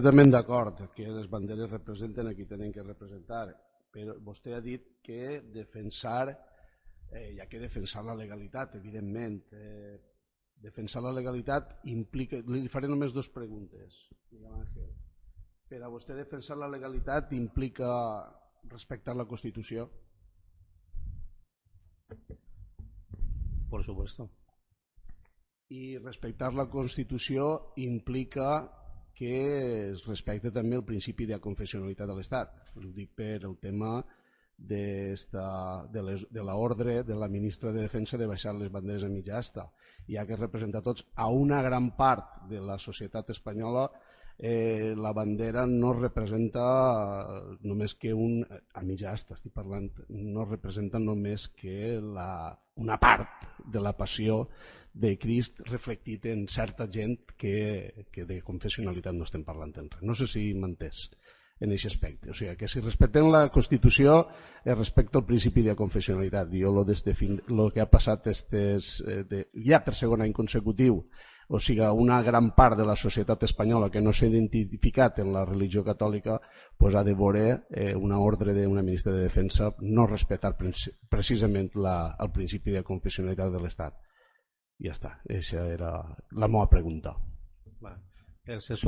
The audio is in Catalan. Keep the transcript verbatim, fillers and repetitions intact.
Completament d'acord que les banderes representen a qui tenen que representar, però vostè ha dit que defensar, eh, hi ha que defensar la legalitat, evidentment. Eh, defensar la legalitat implica... Li faré només dues preguntes. Per a vostè defensar la legalitat implica respectar la Constitució? Por supuesto. I respectar la Constitució implica que es respecta també el principi de confessionalitat de l'Estat. Ho dic per el tema de, esta, de, les, de l'ordre de la ministra de Defensa de baixar les banderes a mitja asta. Ja que representa tots a una gran part de la societat espanyola, eh, la bandera no representa només que un... a mitja asta estic parlant, no representa només que la, una part de la passió de Crist reflectit en certa gent que, que de confessionalitat no estem parlant en res. No sé si m'entès en aquest aspecte. O sigui, que si respectem la Constitució es respecta el principi de confessionalitat. Jo lo, fin, lo que ha passat estes, eh, de, ja per segon any consecutiu, o sigui, una gran part de la societat espanyola que no s'ha identificat en la religió catòlica pues ha de veure eh, una ordre d'una ministra de Defensa no respectar precisament la, el principi de confessionalitat de l'Estat. Ja està, aquesta era la meva pregunta. Va. El sexo de